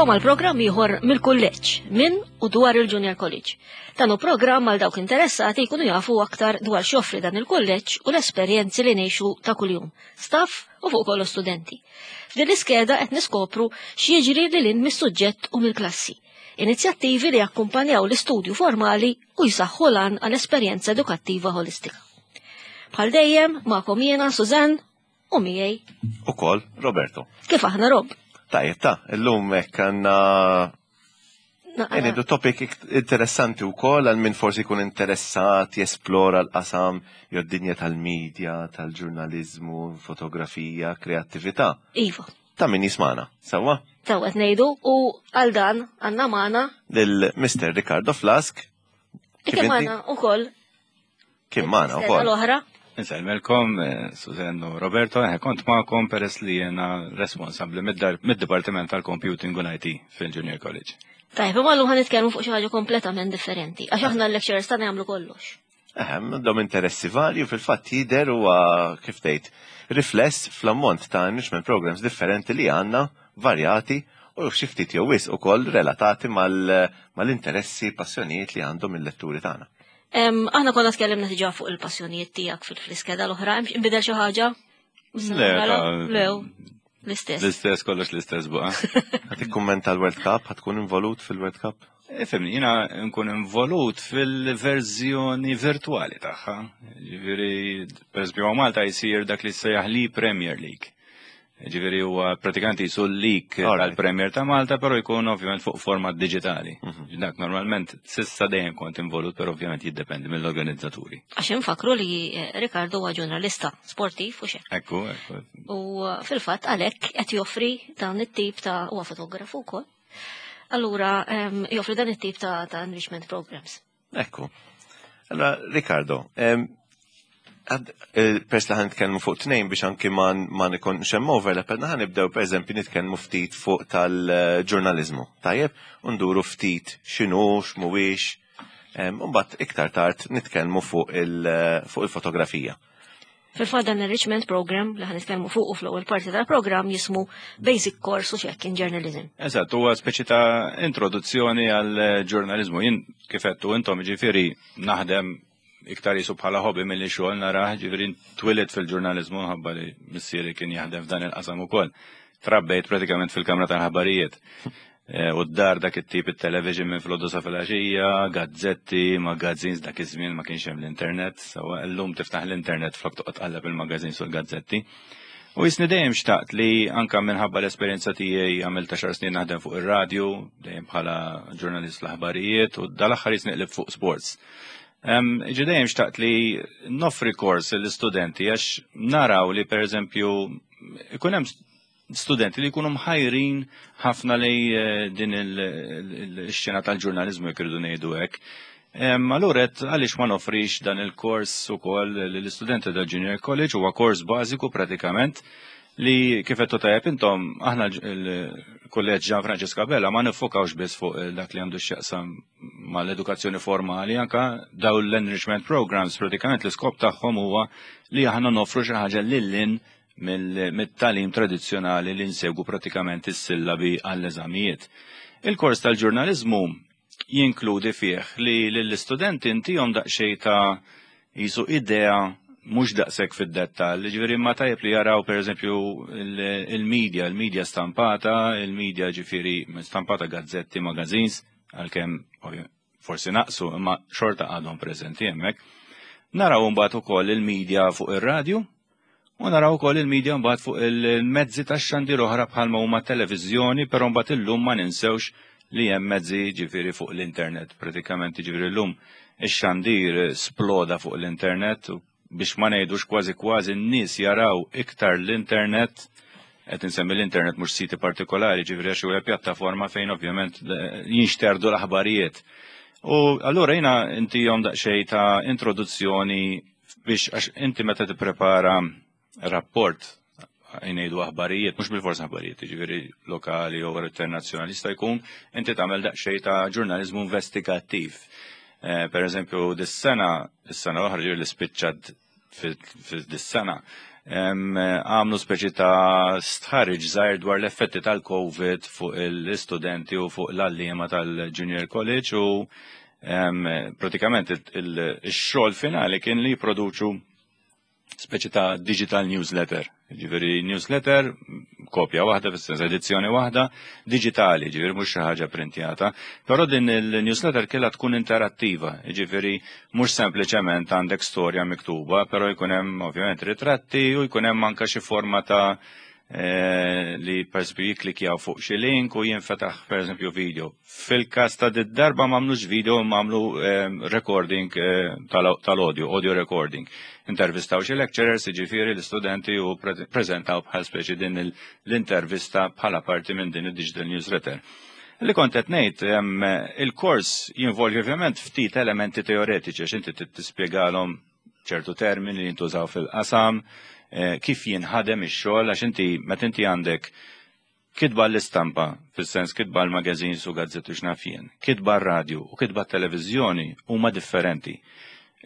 Nilqgħukom għal programm ieħor mill-kulleġġ minn u dwar il-Junior College. Dan hu programm għal dawk interessati jkunu jafu aktar dwar x'joffri dan il-kulleġġ u l-esperjenzi li ngħixu ta' kuljum, staff u fuq kollox studenti. F'din l-iskeda qed niskopru x'jiġri lil hinn mis-suġġett u mill-klassi. Inizjattivi li jakkumpanjaw l-istudju formali u jsaħħu l-għan għal esperjenza edukattiva ħolistika. Bħal dejjem, magħkom jiena Suzanne u miegħi. Ukoll Roberto. Kif aħna Rob? Tajjeb ta' illum hekk għandna Ngħidu topic interessanti wkoll għal min forsi jkun interessat jesplora l-qasam jew d-dinja tal-medja, tal-ġurnaliżmu, fotografija, kreattività. Iva. Ta' min jismana, sewwa? Sewwa qed ngħidu u għal dan għandna magħna lil Mr. Ricardo Flask. Kien magħna ukoll. Kien magħna wkoll. L-oħra. Insellmelkom, eh, Susanne u Roberto, eh, kont magħkom peress li jiena responsabbli mid-Dipartiment tal-Computing u l-IT fil-Junior College. Tajb, imma llum ħa nitkellmu fuq xi ħaġa kompletament differenti, għax aħna l-lecturers tagħna jagħmlu kollox. Ehm, għandhom interessi varji u fil-fatt jidher huwa kif tgħid rifless fl-ammont ta' enrichment programs differenti li għandna varjati u xi ftit jew wisq ukoll relatati mal-interessi, passjonijiet li għandhom il-letturi tagħna. Aħna konna tkellimna diġà fuq il-passjonijiet tiegħek fil-iskeda l-oħra, inbidel xi ħaġa? Le, Le, l-istess. L-istess, kollox l-istess buqa. Ħa tikkummenta l-World Cup, ħa tkun involut fil-World Cup? Ifhimni, jiena nkun involut fil-verżjoni virtuali tagħha. Ġifieri, per eżempju, Malta jsir dak li sejjaħ li Premier League. Ġifieri huwa pratikament jisu l-league tal-Premier ta' Malta, però jkun ovvjament fuq format digitali. Dak normalment sissa dejjem kont involut, però ovvjament jiddependi mill-organizzaturi. Għax infakru li eh, Ricardo huwa ġurnalista sportiv u xek. Ekku, ekku. U eh, fil-fatt għalhekk qed joffri dan it-tip ta' huwa fotografu wkoll. Allura ehm, joffri dan it-tip ta', ta' enrichment programs. Ekku. Allora, Ricardo, eh, pers li ħan nitkellmu fuq tnejn biex anki ma ma nikon hemm overlap, għedna ħan nibdew per eżempju nitkellmu ftit fuq tal-ġurnaliżmu. Tajjeb, u nduru ftit x'inhu, x'mhuwiex, u mbagħad iktar tard nitkellmu fuq il-fotografija. Fil-fatt dan enrichment program li ħan nitkellmu fuq u fl-ewwel parti tal-programm jismu Basic Course u xekk in Journalism. Eżatt, huwa speċi ta' introduzzjoni għal ġurnaliżmu. Jien kif għedtu intom ġifieri naħdem iktar jisu bħala hobby milli xogħol narah, ġifieri twilit fil-ġurnaliżmu ħabba li missieri kien jaħdem f'dan il-qasam ukoll. Trabbejt pratikament fil-kamra tal-ħabarijiet. Eh, u d-dar dak it-tip it-television minn filgħodu sa filgħaxija, gazzetti, magazines dak iż-żmien ma kienx hemm l-internet, sawa llum tiftaħ l-internet flok toqgħod tqalleb il-magazines u l-gazzetti. U jisni dejjem xtaqt li anka minħabba l-esperjenza tiegħi għamilt xar snin naħdem fuq ir-radju, dejjem bħala ġurnalist l-aħbarijiet u dal-aħħar jisni qlib fuq sports. Ġi dejjem xtaqt li noffri kors l-istudenti għax naraw li per eżempju ikun hemm studenti li jkunu mħajrin ħafna li eh, din il-xena tal-ġurnalizmu jekk irridu ngħidu hekk. Allura qed għaliex ma nofrix dan il-kors ukoll lill-istudenti tal-Junior College huwa kors bażiku pratikament li kif qed tajjeb intom aħna l-kulleġġ Ġan Franġisk Abela ma nifokawx biss fuq dak li għandu x'jaqsam mal-edukazzjoni formali anka daw l-enrichment programs pratikament l-iskop tagħhom huwa li aħna nofru xi ħaġa lil mit-tagħlim tradizzjonali li nsegwu pratikament is-sillabi għall-eżamijiet. Il-kors tal-ġurnaliżmu jinkludi fih li lill-istudenti intihom daqsxejn ta' jisu idea mhux daqshekk fid-dettall, ġifieri ma tajjeb li jaraw pereżempju il-media, il-media stampata, il-media ġifieri stampata gazzetti, magazines, għalkemm forsi naqsu imma xorta għadhom preżenti hemmhekk. Naraw mbagħad ukoll il-media fuq ir-radju u naraw ukoll il-media mbagħad fuq il-mezzi tax-xandir oħra bħalma huma televiżjoni, però mbagħad illum ma ninsewx li hemm mezzi ġifieri fuq l-internet. Pratikament ġifieri llum ix-xandir sploda fuq l-internet u biex ma ngħidux kważi kważi n-nies jaraw iktar l-internet qed insemmi l-internet mhux siti partikolari, ġifieri għax huwa pjattaforma fejn ovvjament eh, jinxterdu l-aħbarijiet. U allura jiena intihom daqsxejn ta' introduzzjoni biex għax inti meta tipprepara rapport ngħidu aħbarijiet, mhux bil-fors aħbarijiet, jiġifieri lokali jew internazzjonali jista' jkun inti tagħmel daqsxejn ta' ġurnaliżmu investigattiv. Eh, per eżempju, dis-sena, is-sena l-oħra ġifieri li spiċċat fid-dis-sena, Għamlu speċi ta' stħarriġ żgħir dwar l-effetti tal-Covid fuq l-istudenti u fuq l-għalliema tal-Junior College u pratikament il-xogħol finali kien li jipproduċu speċi ta' digital newsletter. Ġifieri newsletter, kopja waħda, fis-sens edizzjoni waħda, digitali, ġifieri mhux xi ħaġa printjata. Però din il-newsletter kellha tkun interattiva, ġifieri mhux sempliċement għandek storja miktuba, però jkun hemm ovvjament ritratti u jkun hemm anke xi forma ta' li per eżempju jiklikjaw fuq xi link u jinfetaħ per eżempju video. Fil-każ ta' darba m'għamlux video, m'għamlu recording tal-audio, audio recording. Intervistaw xi lecturers, jiġifieri l-istudenti, u prezentaw bħal speċi din l-intervista bħala parti minn din id-digital newsletter. Li kont qed ngħid, il-kors jinvolvi ovvjament ftit elementi teoretiċi għax inti tispjegalhom ċertu termini li jintużaw fil-qasam, kif jinħadem ix-xogħol, għax inti meta inti għandek kitba l-istampa, fis-sens kitba l-magazines u gazzetti x'naf jien, kitba r-radju u kitba t-televiżjoni huma differenti.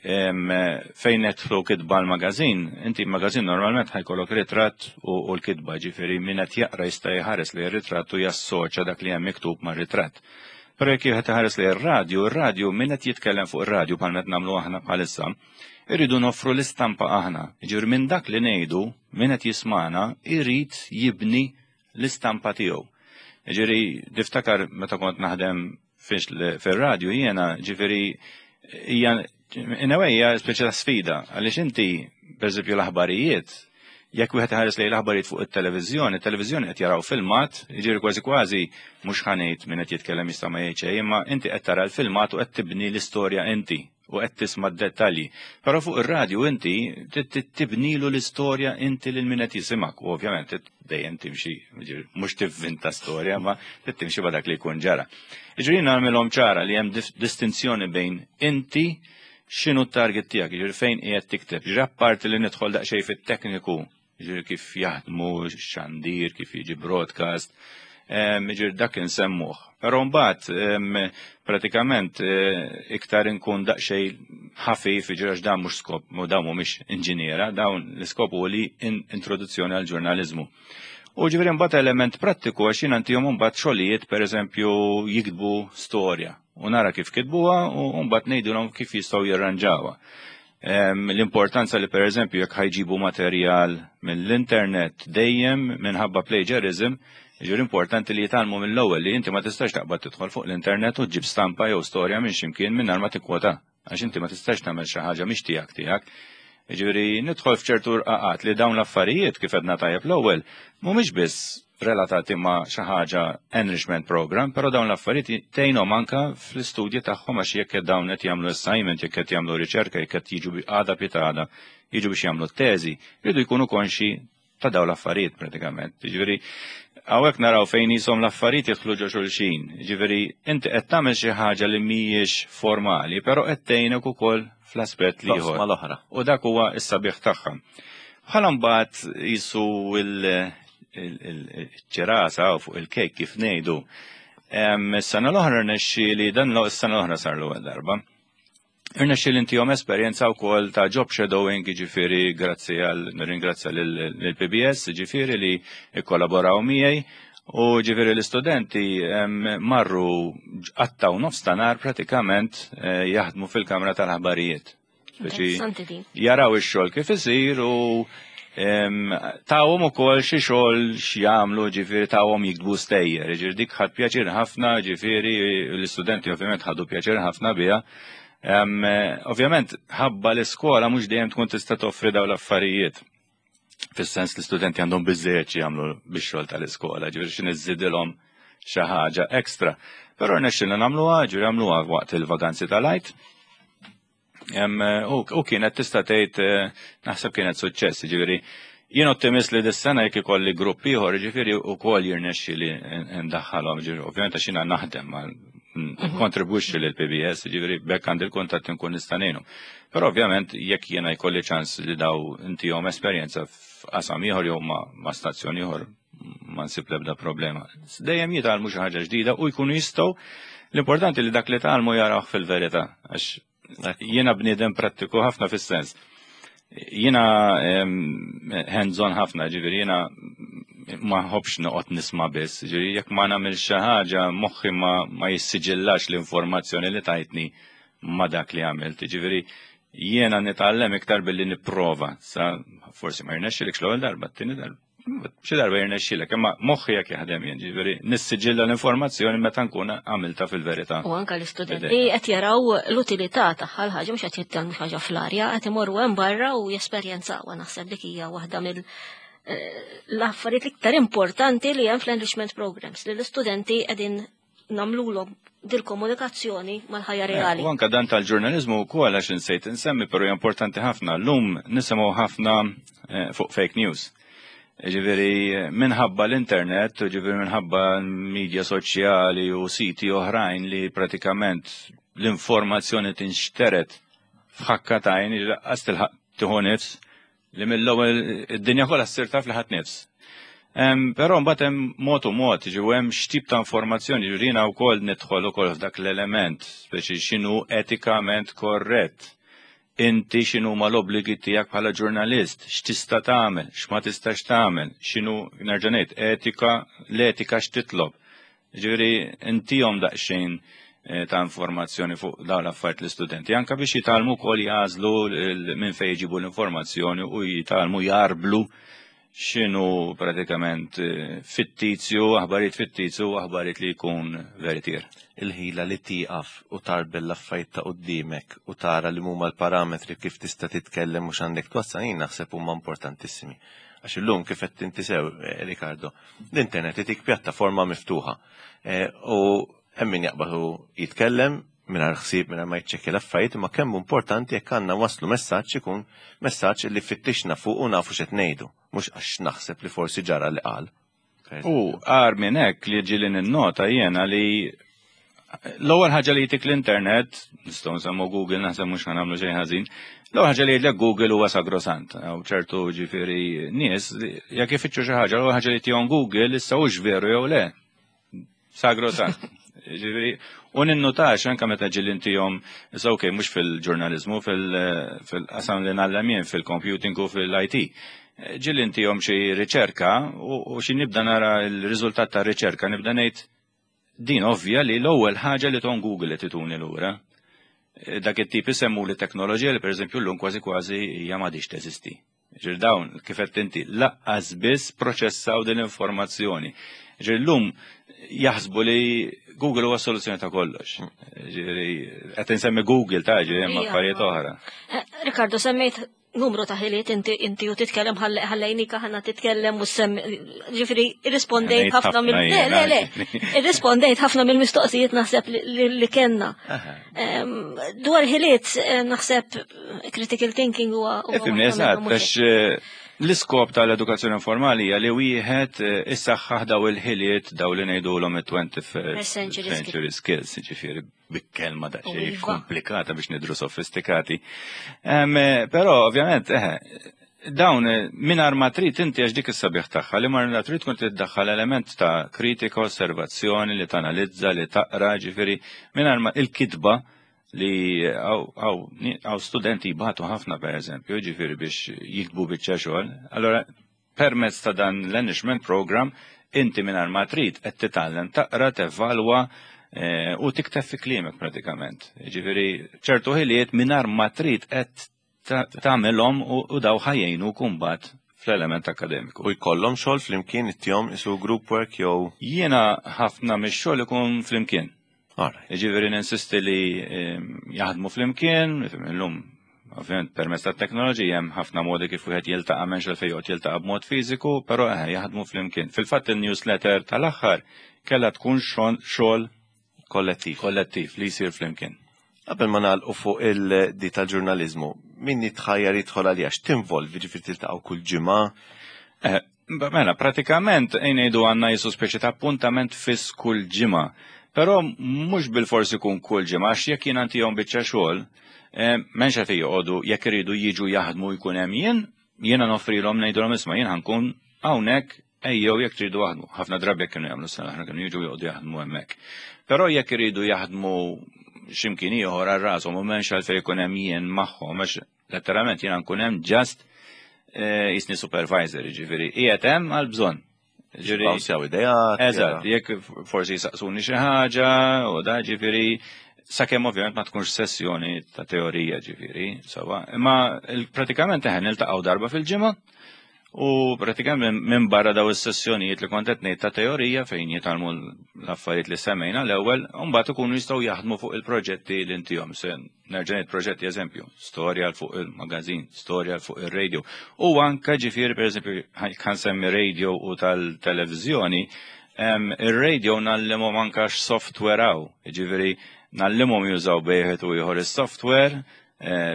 Fejn nidħlu kitba l-magazin, inti magazin normalment ħa jkollok ritratt u l-kitba, ġifieri min qed jaqra jista' jħares li r-ritratt u jassoċja dak li hemm miktub mar-ritratt. Però jekk jieħed iħares li r-radju, ir-radju min qed jitkellem fuq ir-radju bħal qed nagħmlu aħna bħalissa, irridu noffru l-istampa aħna. Ġifieri minn dak li ngħidu, min qed jismana irid jibni l-istampa tiegħu. Ġifieri tiftakar meta kont naħdem fir-radju jiena, ġifieri hija in a way hija speċi ta' sfida għaliex inti, pereżempju, l-aħbarijiet, jekk wieħed iħares lejn l-aħbarijiet fuq it-televiżjoni, it-televiżjoni qed jaraw filmat, jiġifieri kważi kważi mhux ħa ngħid min qed jitkellem jista' ma jgħid xejn, imma inti qed tara l-filmat u qed tibni l-istorja inti u qed tisma' d-dettalji. Però fuq ir-radju inti tibnilu l-istorja inti lil min qed jisimgħek u ovvjament dejjem timxi, mhux tivvinta storja, ma timxi ma dak li jkun ġara. Jiġifieri nagħmilhom ċara li hemm distinzjoni bejn inti x'inhu t-target tiegħek, jiġifieri fejn qiegħed tikteb. Jiġifieri apparti li nidħol daqsxejn fit-tekniku, jiġifieri kif jaħdmu xandir, kif jiġi broadcast, jiġifieri dak insemmuh. Però mbagħad pratikament iktar inkun daqsxejn ħafif, jiġifieri għax dan mhux skop, dawn mhumiex inġiniera, dawn l-iskop hu li introduzzjoni għal ġurnaliżmu. U ġifieri mbagħad element prattiku għax jien għandihom mbagħad xogħlijiet, pereżempju jiktbu storja u nara kif kitbuha u mbagħad ngħidulhom kif jistgħu jirranġawha. L-importanza li, pereżempju, jekk ħa jġibu materjal mill-internet, dejjem minħabba plagiarism, ġifieri importanti li jitgħallmu mill-ewwel li inti ma tistax taqbad tidħol fuq l-internet u ġġib stampa jew storja minn ximkien mingħajr ma tikkwota. Għax inti ma tistax tagħmel xi ħaġa mhix tiegħek tiegħek. Ġifieri nidħol f'ċertu rqaqat li dawn l-affarijiet, kif għedna tajjeb l-ewwel, mhumiex biss relatati ma' xi ħaġa enrichment program, però dawn l-affarijiet tgħinhom anka fl-istudji tagħhom għax jekk dawn qed jagħmlu assignment, jekk qed jagħmlu riċerka, jekk qed jiġu għada pitgħada jiġu biex jagħmlu teżi, jridu jkunu konxi ta' dawn l-affarijiet pratikament. Ġifieri hawnhekk naraw fejn jisom l-affarijiet jidħlu ġo xulxin. Ġifieri inti qed tagħmel xi ħaġa li mhijiex formali, però qed tgħinek ukoll fl-aspett li ieħor. Mal-oħra. U dak huwa s-sabiħ tagħha. Bħala mbagħad jisu il-ċirasa u fuq il-kejk kif ngħidu. Is-sena l-oħra rnexxieli dan, is-sena l-oħra sar l-ewwel darba. Irnexxieli ntihom esperjenza wkoll ta' job shadowing, ġifieri grazzi għal nirringrazzja lill-PBS, ġifieri li ikkollaboraw miegħi u ġifieri l-istudenti marru qattgħu nofs ta' nhar pratikament jaħdmu fil-kamra tal-aħbarijiet. Speċi Interessanti din. jaraw ix-xogħol kif isir u tawhom ukoll xi xogħol x'jagħmlu, ġifieri tawhom jiktbu stejjer, ġifieri dik ħadt pjaċir ħafna, ġifieri l-istudenti ovvjament ħadu pjaċir ħafna biha. Ovvjament ħabba l-iskola mhux dejjem tkun tista' toffri dawn l-affarijiet. Fis-sens l-istudenti għandhom biżejjed xi jagħmlu bix-xogħol tal-iskola, ġifieri xi niżżidilhom xi ħaġa ekstra. Però rnexxilna nagħmluha, ġifieri għamluha waqt il-vaganzi tal-Għid. U kienet tista' tgħid naħseb kienet suċċess, ġifieri jien ottimist li dis-sena jekk ikolli grupp ieħor, ġifieri wkoll jirnexxi li ndaħħalhom, ġifieri ovvjament għax jiena naħdem ma kontribwixxi lil PBS, ġifieri bekk għandi l-kuntatt inkun nista' ngħinu. Però ovvjament jekk jiena jkolli ċans li daw intihom esperjenza f'qasam ieħor jew ma' stazzjon ieħor, ma nsib l-ebda problema. Dejjem jitgħallmu xi ħaġa ġdida u jkunu jistgħu, l-importanti li dak li tgħallmu jarawh fil-verità, għax jiena bniedem prattiku ħafna fis-sens. Jiena hands-on ħafna, ġifieri jiena ma nħobbx noqgħod nisma' biss, ġifieri jekk ma nagħmel xi ħaġa moħħi ma, ma jissiġillax l-informazzjoni li tajtni ma dak li għamilt. Ġifieri jiena nitgħallem iktar billi nipprova. Sa forsi ma jirnexxilekx l-ewwel darba, t-tieni darba. Xi darba jirnexxilek, imma moħħi jekk jaħdem jien, ġifieri nissiġilla l-informazzjoni meta nkun għamilta fil-verità. U anka l-istudenti qed jaraw l-utilità tagħha l-ħaġa mhux qed jitkellmu xi ħaġa fl-arja, qed imorru hemm barra u jesperjenzawha naħseb dik hija waħda mill eh, l-affarijiet l-iktar importanti li hemm fl-enrichment programs li l-istudenti qegħdin nagħmlulhom dil-komunikazzjoni mal-ħajja eh, reali. U anka dan tal-ġurnalizmu wkoll għax insejt insemmi, però hija importanti ħafna. Llum nisimgħu ħafna eh, fuq fake news. Ġifieri minħabba l-internet, ġifieri minħabba media soċjali u siti oħrajn li pratikament l-informazzjoni tinxteret f'ħakka tajn, laqqas tilħaq tieħu nifs, li mill-ewwel id-dinja kollha ssir taf li ħadd nifs. Però mbagħad hemm mod u mod, ġew hemm x'tip ta' informazzjoni ġurina wkoll nidħol ukoll f'dak l-element, speċi x'inhu etikament korrett. Inti x'inhu ma l-obbligi tiegħek bħala ġurnalist, x'tista' tagħmel, x'ma tistax tagħmel, x'inhu nerġa' ngħid etika, l-etika x'titlob. Ġifieri intihom daqsxejn eh, ta' informazzjoni fuq dawn l-affarijiet l-istudenti, anka biex jitgħallmu wkoll jagħżlu minn fejn jġibu l-informazzjoni u jitgħallmu jarblu x'inhu pratikament eh, fittizju, aħbarijiet fittizju u aħbarijiet li jkun veritier. Il-ħila li tieqaf u tarbel l-affarijiet ta' qudiemek u tara li huma l-parametri kif tista' titkellem u x'għandek twassal jien naħseb huma importantissimi. Għax illum kif qed inti sew, eh, Ricardo, l-internet itik pjattaforma miftuħa. Eh, u hemm min jaqbad u jitkellem mingħajr ħsieb mingħajr ma jiċċekkja l-affarijiet, imma kemm importanti jekk għandna waslu messaġġ ikun messaġġ li fittixna fuq u nafu x'qed ngħidu, mhux għax naħseb li forsi ġara li qal. U għar minn hekk li ġieli ninnota jiena li l-ewwel ħaġa li jtik l-internet, nistgħu nsemmu Google naħseb mhux ħanamlu xejn ħażin, l-ewwel ħaġa li jgħidlek Google huwa sagrosant. Hawn ċertu ġifieri nies jekk ifittxu xi ħaġa, l-ewwel ħaġa li tihom Google issa hux veru jew le. Sagrosant. Ġifieri, u ninnutax anke meta ġieli intihom, issa okej mhux fil-ġurnaliżmu, fil-qasam li ngħallem jien fil-computing u fil-IT. Ġieli intihom xi riċerka u xi nibda nara l-riżultat tar-riċerka nibda ngħid din ovvja li l-ewwel ħaġa li ton Google qed ituni lura. Dak it-tip isemmu li teknoloġija li pereżempju llum kważi kważi hija m'għadhiex teżisti. Ġir dawn, kif qed inti, laqqas biss proċessaw din l-informazzjoni. Ġir llum jaħsbu li Google huwa soluzzjoni ta' kollox. Ġifieri qed insemmi Google ta' ġifieri hemm affarijiet oħra. Eh, Ricardo, semmejt numru ta' ħiliet inti inti u titkellem ħallejnik aħna titkellem u sem ġifieri irrispondejt ħafna mill le le le irrispondejt ħafna mill-mistoqsijiet naħseb li kellna. Dwar ħiliet eh, naħseb critical thinking huwa. Ifimni, eżatt, għax eh, l-iskop tal-edukazzjoni informali hija li wieħed eh, issaħħaħ daw il-ħiliet daw li ngħidulhom it-21st century skills, ġifieri bik-kelma daqsxejn iva. komplikata biex nidru sofistikati. Eh, però ovvjament, dawn mingħajr ma trid inti għax dik is-sabiħ tagħha li mar trid tkun tiddaħħal element ta' kritika, osservazzjoni, li tanalizza, li taqra, ġifieri mingħajr ma il-kitba li għaw studenti jibatu ħafna per eżempju, ġifiri biex jiktbu biċċa xogħol. Allora, permezz ta' dan l-enrichment program, inti minn ma trid qed titgħallem taqra, tevalwa eh, u tikteb fi kliemek pratikament. Ġifieri ċertu ħiliet mingħajr ma trid qed tagħmilhom u daw ħajjejnu kumbat fl-element akademiku. U jkollhom xogħol flimkien it-tjom isu group work jew? Jiena ħafna mix-xogħol ikun flimkien. Jiġifieri ninsisti li ehm, jaħdmu flimkien, illum ovvjament permezz tat-teknoloġija hemm ħafna modi kif wieħed jiltaqa' m'hemmx għalfejn joqgħod jiltaqa' b'mod fiżiku, però eħe jaħdmu flimkien. Fil-fatt il-newsletter tal-aħħar kellha tkun xogħol kollettiv. Kollettiv li jsir flimkien. Qabel ma nagħlqu fuq il-di tal-ġurnaliżmu, min jitħajjar jidħol għalija x'tinvolvi ġifieri tiltaqgħu kull ġimgħa? Eh, mela, pratikament ngħidu għandna jisu speċi ta' appuntament fiss kull ġimgħa. Però mhux bil-forsi kun kull ġimgħa, għax jekk jien għandihom biċċa xogħol, eh, m'hemmx qed joqogħdu jekk iridu jiġu jaħdmu jkun hemm jien, jiena noffrilhom ngħidulhom isma' jien ħankun hawnhekk Ejjew jekk tridu aħdmu. Ħafna drabi jekk kienu jagħmlu s-sena aħna kienu jiġu joqogħdu jaħdmu hemmhekk. Però jekk iridu jaħdmu x'imkien ieħor għal rashom u m'hemmx għalfejn ikun hemm jien magħhom għax Letteralment jiena nkun hemm just jisni supervisor, ġifieri qiegħed hemm għal bżonn. Ġifieri Bawsjaw idejat. Eżatt, jekk forsi jisaqsuni xi ħaġa u da ġifieri sakemm ovvjament ma tkunx sessjoni ta' teorija ġifieri, sawa. Imma pratikament eħen niltaqgħu darba fil-ġimgħa u pratikament minn barra daw is-sessjonijiet li kont qed ngħid ta' teorija fejn jitgħallmu l-affarijiet li semmejna l-ewwel, u mbagħad ikunu jistgħu jaħdmu fuq il-proġetti li intihom. Se nerġa' ngħid proġetti eżempju, storja fuq il-magazin, storja fuq ir-radio. U anke ġifieri pereżempju kan semmi radio u tal-televiżjoni, ir-radio ngħallimhom anke x'software hawn, ġifieri ngħallimhom jużaw bejħet u ieħor is-software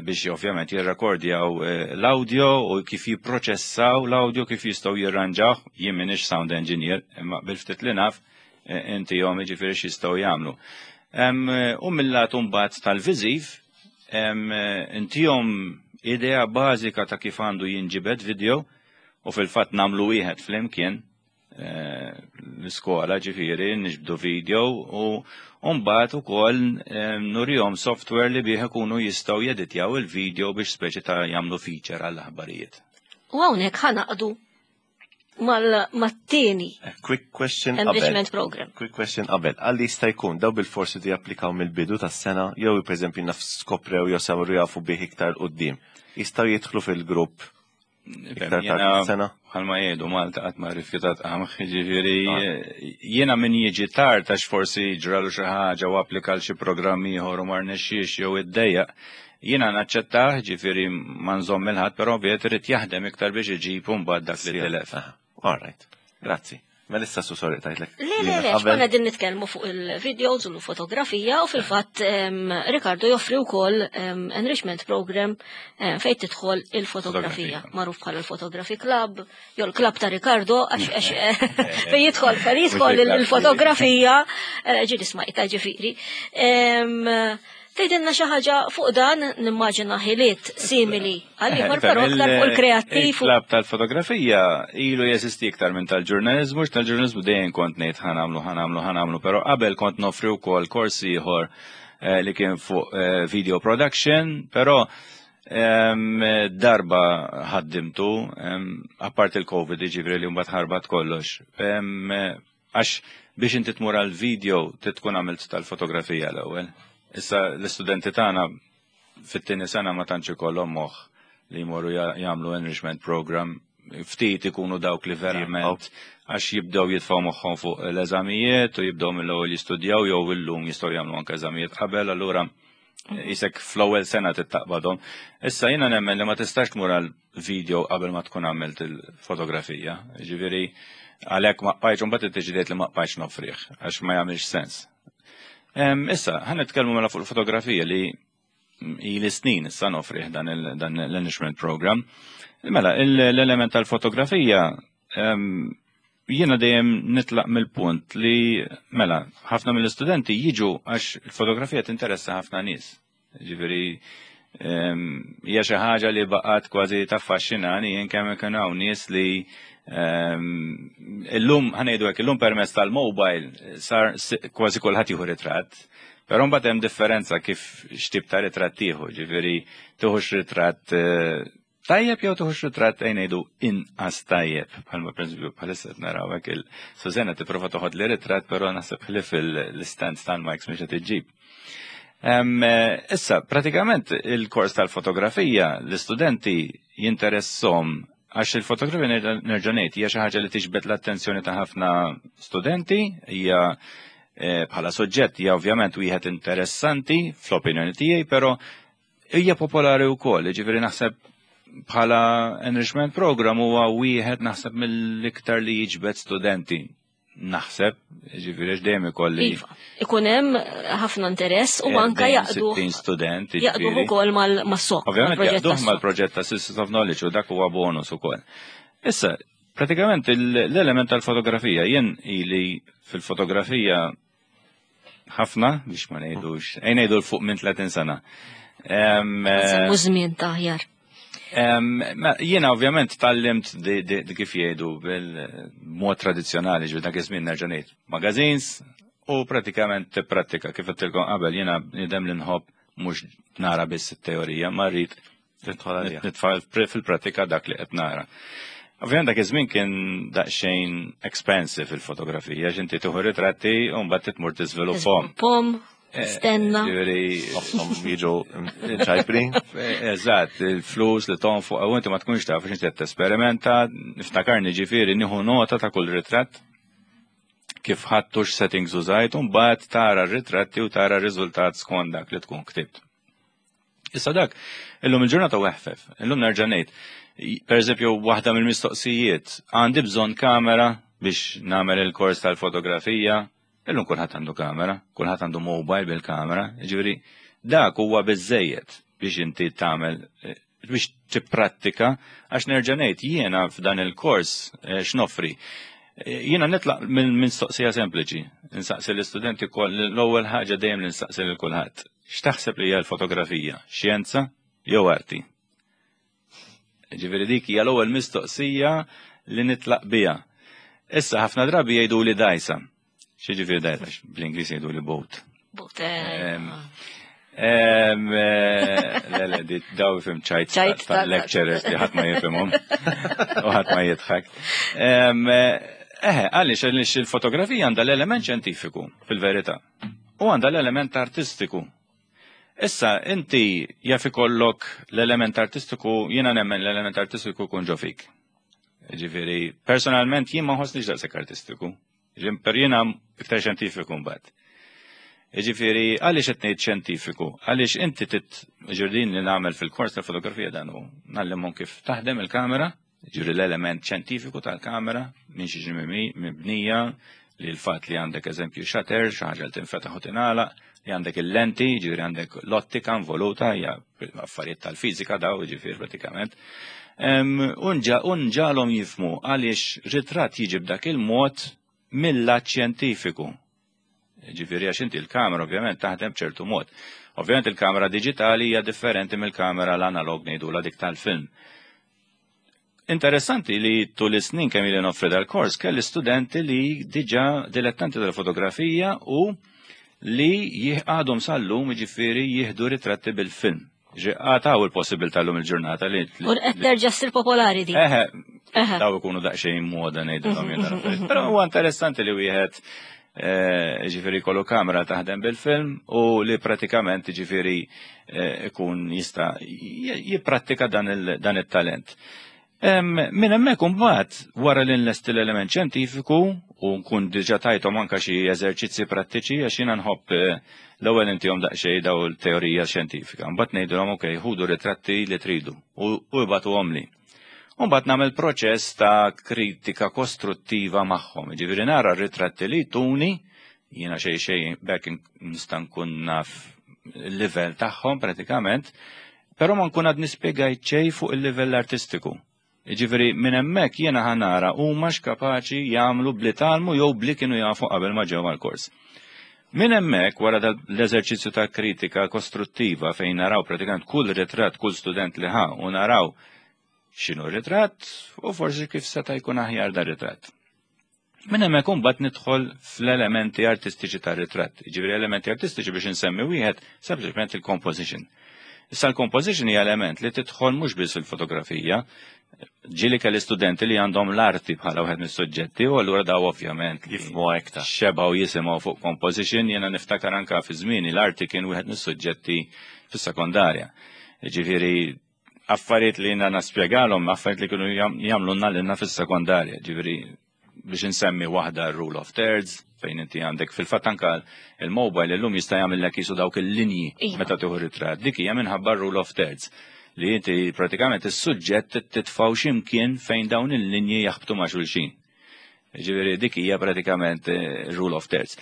biex ovvjament jirrekordjaw l-audio u kif jipproċessaw l-audio, kif jistgħu jirranġaw, jien m'iniex sound engineer, imma bil-ftit li naf inti jom ġifieri x'jistgħu jagħmlu. U mill-lat mbagħad tal-viżiv, intihom idea bażika ta' kif għandu jinġibed video u fil-fatt nagħmlu wieħed flimkien l-iskola ġifieri niġbdu video u mbagħad ukoll nurihom software li bih ikunu jistgħu jeditjaw il-video biex speċi ta' jagħmlu feature għall-aħbarijiet. U hawnhekk ħa naqdu mat-tieni Quick question qabel. enrichment program. Quick question qabel. Għalli jista' jkun daw bil-forsi di japplikaw mill-bidu tas-sena jew pereżempju naf skoprew jew saru jafu bih iktar quddiem. Jistgħu jidħlu fil-grupp iktar tard sena? Bħalma jgħidu Malta qatt ma rrifjutat qamħ, ġifieri jiena min jiġi tard għax forsi ġralu xi ħaġa u applika l xi programm ieħor u ma rnexxiex jew iddejjaq, jiena naċċettah, ġifieri ma nżomm il-ħadd, però ovvjament irid jaħdem iktar biex iġib mbagħad dak li tilef. All right, grazzi. Mela issa su sorry tajtlek. Le, le, le, xkonna din nitkellmu fuq il-videos u l-fotografija u fil-fatt Ricardo joffri wkoll enrichment program fejn tidħol il-fotografija, magħruf bħala il-Photography Club, jew l-Club ta' Ricardo, għax fejn jidħol fejn jidħol il-fotografija, ġieli smajta ġifieri. Tgħidilna xi ħaġa fuq dan nimmaġina ħiliet simili għal ieħor però aktar fuq il-kreattiv. Il-klab tal-fotografija ilu jeżisti iktar minn tal-ġurnaliżmu, tal-ġurnaliżmu dejjem kont ngħid ħa nagħmlu, ħa nagħmlu, ħa nagħmlu, però qabel kont noffri wkoll kors ieħor li kien fuq video production, però darba ħaddimtu, apart il-Covid, ġifieri li mbagħad ħarbat kollox. Għax biex inti tmur għal video tkun għamilt tal-fotografija l-ewwel. Issa l-istudenti tagħna fit-tieni sena ma tantx ikollhom moħħ li jmorru jagħmlu enrichment program, ftit ikunu dawk li verament għax jibdew jitfgħu moħħhom fuq l-eżamijiet u jibdew mill-ewwel jistudjaw jew illum jistgħu jagħmlu anke eżamijiet qabel, allura jisek fl-ewwel sena tittaqbadhom. Issa jiena nemmen li ma tistax tmur għal video qabel ma tkun għamilt il-fotografija. Ġifieri għalhekk ma qbajtx imbagħad iddeċidejt li ma qbajtx nofrih għax ma jagħmilx sens. Issa, ħa nitkellmu mela fuq il-fotografija li ili snin issa nofrih dan l-enrichment program. Mela, l-element tal-fotografija jiena dejjem nitlaq mill-punt li mela ħafna mill-istudenti jiġu għax il-fotografija tinteressa ħafna nies. Ġifieri hija xi ħaġa li baqgħet kważi taffaxxinani jien kemm ikun hawn nies li illum ħa ngħidu hekk illum permezz tal-mobile sar kważi kulħadd jieħu ritratt. Però mbagħad hemm differenza kif x'tip ta' ritratt tieħu, ġifieri tieħux ritratt tajjeb jew tieħux ritratt ejn ngħidu inqas tajjeb. Bħalma pereżempju bħalissa qed naraw hekk il-Susanna tipprova toħod li ritratt però naħseb ħlief l-stand tal-mics mhux qed iġġib. Issa, pratikament il-kors tal-fotografija l-istudenti jinteressom għax il-fotografija nerġa' ngħid hija xi ħaġa li tiġbed l-attenzjoni ta' ħafna studenti, hija bħala soġġett hija ovvjament wieħed interessanti fl-opinjoni tiegħi, però hija popolari wkoll, jiġifieri naħseb bħala enrichment program huwa wieħed naħseb mill-iktar li jiġbed studenti. Naħseb, ġifieri għax dejjem ikolli. Iva, ikun hemm ħafna interess u anke jaqdu. 60 student, Jaqdu jiġifieri. ukoll mas-sok. Ovvjament mal-proġett jaqduh tas-sok. mal-proġett ta' Systems of Knowledge u dak huwa bonus ukoll. Issa, pratikament l-element tal-fotografija, jien ili fil-fotografija ħafna, biex ma ngħidux, ejn ngħidu l fuq minn 30 sena. Nsemmu żmien ta' aħjar. Jiena ovvjament tgħallimt di kif jgħidu bil-mod tradizzjonali, ġifieri dak iż-żmien nerġa' ngħid magazines u pratikament tipprattika kif għedtilkom qabel jiena bniedem li nħobb mhux nara biss it-teorija, ma rrid Nitfa' fil-pratika dak li qed nara. Ovvijament dak iż-żmien kien daqsxejn expensive il-fotografija, x'inti tieħu ritratti u mbagħad titmur tiżviluppahom. Pom, eh, stenna. Ġifieri jiġu ċajpri. Eh, eżatt, il-flus li tonfuq u inti ma tkunx taf x'inti qed tesperimenta, niftakarni ġifieri nieħu nota ta' kull ritratt kif ħadtu x-settings użajt u mbagħad tara r-ritratti u tara r-riżultat skont dak li tkun ktibt. Issa dak, illum il-ġurnata u eħfef, illum nerġa' ngħid. Per eżempju, waħda mill-mistoqsijiet, għandi bżonn kamera biex nagħmel il-kors tal-fotografija, illum kulħadd għandu kamera, kulħadd għandu mobile bil-kamera, ġifieri dak huwa biżejjed biex inti tagħmel eh, biex tipprattika għax nerġa' ngħid jiena f'dan il-kors eh, x'noffri. Eh, jiena nitlaq minn mistoqsija sempliċi, insaqsi l-istudenti l-ewwel ħaġa dejjem li nsaqsi lil kulħadd. X'taħseb li hija l-fotografija? Xjenza jew arti? Ġifieri dik hija l-ewwel mistoqsija li nitlaq biha. Issa ħafna drabi jgħidu li dajsa. Xi ġifieri dajsa? Bl-Ingliż jgħidu li boat. Boat. Eh. Eh, le, le, di daw fim ċajt ta' lecturers li ħadd ma jifhimhom u ħadd ma jidħak. Eh, għaliex għaliex il-fotografija għandha l-element xjentifiku fil-verità. U għandha l-element artistiku. Issa, inti jaf ikollok l-element artistiku, jiena nemmen l-element artistiku kun ġo fik. Ġifieri, personalment jien ma nħossniex daqshekk artistiku. Per jiena iktar xjentifiku mbagħad. Ġifieri, għaliex qed ngħid xjentifiku? Għaliex inti tit ġirdin li nagħmel fil-kors tal-fotografija dan hu ngħallimhom kif taħdem il-kamera, Ġifieri l-element xjentifiku tal-kamera minn xi mibnija li l-fatt li għandek eżempju shutter, xi ħaġa li tinfetaħ u tingħalaq, li għandek il-lenti, ġifieri għandek l-ottika involuta, hija affarijiet tal-fiżika daw, ġifieri pratikament. Unġalhom jifmu għaliex ritratt jiġi b'dak il-mod mill-lat xjentifiku. Ġifieri għax inti l-kamera ovvjament taħdem b'ċertu mod. Ovvjament il-kamera diġitali hija differenti mill-kamera l-analog ngħidula dik tal-film. Interessanti li tul is-snin kemm ili noffri dal-kors kelli studenti li diġà dilettanti tal-fotografija u li għadhom sal-lum jiġifieri jieħdu ritratti bil-film. Għataw il-possibilità l-lum il-ġurnata li. U qed terġa' ssir popolari di. Eħe, daw ikunu daqsxejn moda ngħidilhom jien affarijiet. Però huwa interessanti li wieħed eh, ġifieri kollu kamera taħdem bil-film u li pratikament ġifieri eh, ikun jista' jipprattika dan it-talent. Minn hemmhekk imbagħad wara li nlesti l-element xjentifiku u nkun diġà tajthom anke xi eżerċizzi prattiċi għax jiena nħobb eh, l-ewwel intihom daqsxejn daw il-teorija xjentifika. Mbagħad ngħidilhom ok, ħudu ritratti li tridu u ibatuhom li. U mbagħad nagħmel proċess ta' kritika kostruttiva magħhom. Ġifieri nara r-ritratti li tuni jiena xejn xejn bekk nista' nkun naf il-livell tagħhom pratikament Però ma nkun għad nispjegajt xejn fuq il-livell artistiku. Jiġifieri minn hemmhekk jiena ħa nara huma x'kapaċi jagħmlu bli tgħallmu jew bli kienu jafu qabel ma ġew għall-kors. Minn hemmhekk wara l-eżerċizzju ta' kritika kostruttiva fejn naraw pratikament kull ritratt kull student li ħa u naraw x'inhu r-ritratt u forsi kif seta' jkun aħjar dar ritratt. Minn hemmhekk imbagħad nidħol fl-elementi artistiċi tar-ritratt. Jiġifieri elementi artistiċi biex insemmi wieħed sempliċement il-composition. Issa l-composition hija element li tidħol mhux biss fil-fotografija, ġieli kelli studenti li għandhom l-arti bħala wieħed mis-suġġetti u allura daw ovvjament jifhmu iktar. Xebgħu jisimgħu fuq composition, jiena niftakar anka fi żmieni l-arti kien wieħed mis-suġġetti fis-sekondarja. Ġifieri affarijiet li jiena naspjegalhom, affarijiet li kienu jagħmlulna lilna fis-sekondarja, ġifieri biex insemmi waħda rule of thirds, fejn inti għandek fil-fatt anka il-mobile illum jista' jagħmillek jisu dawk il-linji iva. meta tieħu ritratt. Dik hija minħabba rule of thirds li inti pratikament is-suġġett titfgħu x'imkien fejn dawn il-linji jaħbtu ma' xulxin. Ġifieri dik hija pratikament eh, rule of thirds.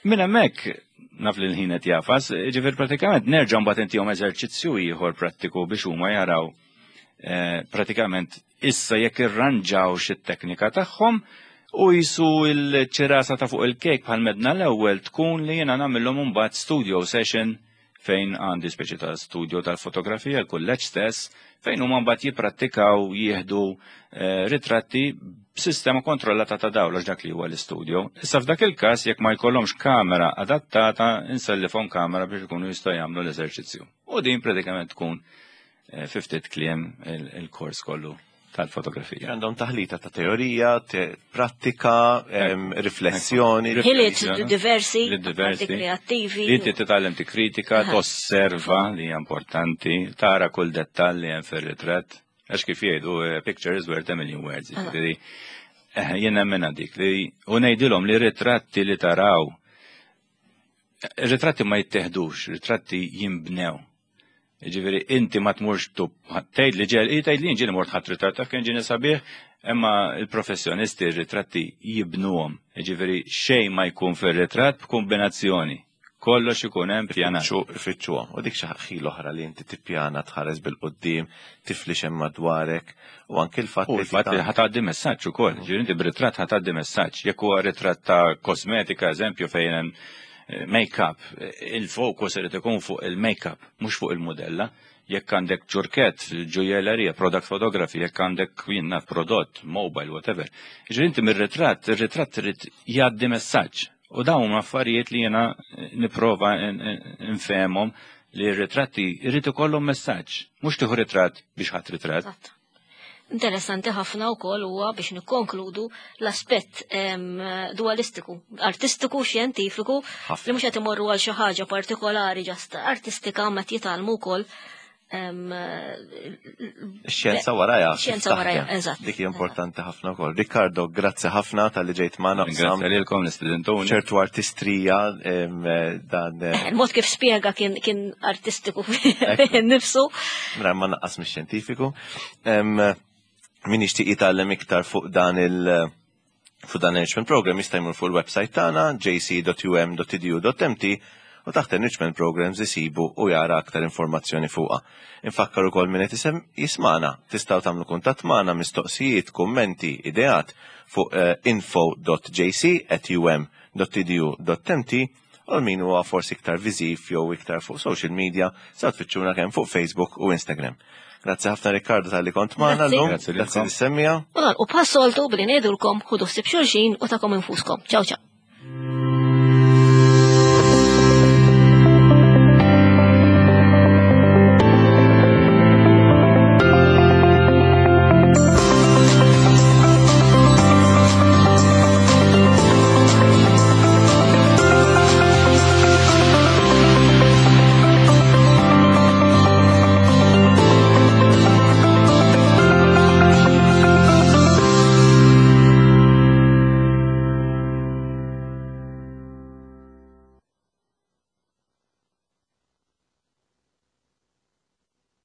Minn hemmhekk naf li l-ħin qed jafas, ġifieri pratikament nerġa' mbagħad intihom eżerċizzju ieħor prattiku biex huma jaraw eh, pratikament issa jekk irranġaw xi teknika tagħhom u jisu l-ċirasa ta' fuq il-kejk bħal medna l-ewwel tkun li jiena nagħmilhom imbagħad studio session fejn għandi speċi ta' studio tal-fotografija, l-kulleġġ stess, fejn huma mbagħad jipprattikaw jieħdu eh, ritratti b'sistema kontrollata ta' dawl għax dak li huwa l-istudio. Issa f'dak il-każ jekk ma jkollhomx kamera adattata, insellifhom kamera biex ikunu jistgħu jagħmlu l-eżerċizzju. U din pratikament tkun fi ftit kliem il-kors kollu tal-fotografija. Għandhom taħlita ta' teorija, prattika, riflessjoni. Ħiliet diversi, diversi, kreattivi. Li inti titgħallem tikkritika, tosserva li hija importanti, tara kull dettall li hemm fir-ritratt. Għax kif jgħidu, picture is worth a million words. Jiġifieri, jien nemmen dik li u ngħidilhom li ritratti li taraw ritratti ma jitteħdux, ritratti jinbnew. Ġifieri inti ma tmurx tub tgħid li ġel, tgħid li ġieli mort ħadd ritratt taf kien ġieni sabiħ, imma l-professjonisti r-ritratti jibnuhom. Ġifieri xejn ma jkun fir-ritratt b'kombinazzjoni. Kollox ikun hemm pjanat. Ifittxuhom. U dik xi ħil oħra li inti tippjana tħares bil-quddiem, tifli x'hemm madwarek u anki l-fatt li fatt li ħatgħaddi messaġġ ukoll. Ġifieri inti b'ritratt ħatgħaddi messaġġ. Jekk huwa ritratt ta' kosmetika, eżempju, fejn hemm make-up, il-fokus irid ikun fuq il-make-up, mhux fuq il-mudella. Jekk għandek ċurkett, ġujellerija, product photography, jekk għandek jien naf prodott, mobile, whatever. Ġifieri inti mir-ritratt, ir-ritratt irid jgħaddi messaġġ. U dawn huma affarijiet li jiena nipprova nfehmhom li r-ritratti jrid ikollhom messaġġ, mhux tieħu ritratt biex ħadd ritratt. Interessanti ħafna wkoll huwa biex nikkonkludu l-aspett dualistiku, artistiku, xjentifiku, li mhux qed imorru għal xi ħaġa partikolari ġast artistika ma jitgħallmu wkoll Xjenza warajha. Xjenza warajha, eżatt. Dik hija importanti ħafna wkoll. Riccardo, grazzi ħafna tal-li ġejt magħna. Grazzi lilkom l-istudentuni. ċertu artistrija dan. Il-mod kif spjega kien artistiku nifsu. Mra ma naqqas mix-xjentifiku. Min jixtieq jitgħallem iktar fuq dan il- fuq dan enrichment program jista' jmur fuq il-website tagħna jc.um.edu.mt u taħt enrichment programs isibu u jara aktar informazzjoni fuqha. Infakkar ukoll min qed jismana, tistgħu tagħmlu kuntatt magħna mistoqsijiet, kummenti, ideat fuq info.jc@um.edu.mt u min huwa forsi iktar viżiv jew iktar fuq social media sa tfittxuna kemm fuq Facebook u Instagram. Grazzi ħafna Riccardo tal-li kont magħna llum. Grazzi Grazzi lis-semmija. U nagħlqu bħas-soltu billi ngħidulkom ħudu ħsieb xulxin u tagħkom infuskom. Ciao ciao.